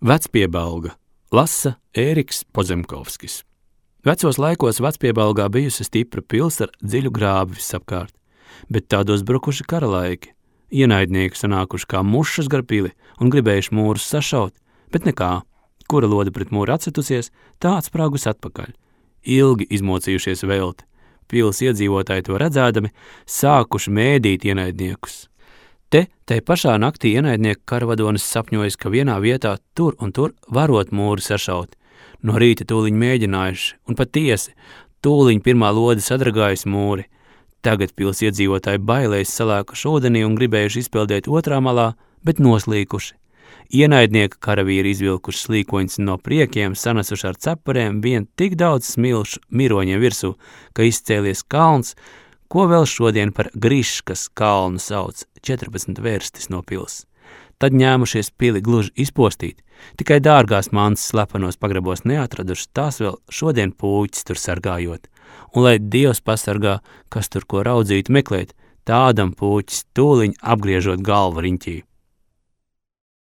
Vecpiebalga lasa Ēriks Pozemkovskis. Vecos laikos Vecpiebalgā bijusi stipra pils ar dziļu grābi visapkārt, bet tādos brukuši karalaiki. Ienaidnieki sanākuši kā mušas gar pili un gribējuši mūrus sašaut, bet nekā. Kura lode pret mūru atcetusies, tā atsprāgus atpakaļ. Ilgi izmocījušies velti. Pils iedzīvotāji to redzēdami, sākuši mēdīt ienaidniekus. Tai pašā naktī ienaidnieku karavadonis sapņojis, ka vienā vietā tur un tur varot mūri sašaut. No rīta tūliņ mēģinājuši, un patiesi, tūliņ pirmā lode sadragājusi mūri. Tagad pils iedzīvotāji bailēs salēkuši ūdenī un gribējuši izpeldēt otrā malā, bet noslīkuši. Ienaidnieka karavīri izvilkuši slīkoņus no priekiem, sanesuši ar cepurēm vien tik daudz smilšu miroņiem virsū, ka izcēlies kalns, ko vēl šodien par Griškas kalnu sauc, 14 vērstis no pils. Tad ņēmušies pili gluži izpostīt, tikai dārgās mantas slepenos pagrabos neatraduši, tās vēl šodien pūķis tur sargājot. Un lai Dievs pasargā, kas tur ko raudzītu meklēt, tādam pūķis tūliņ apgriežot galvu riņķī.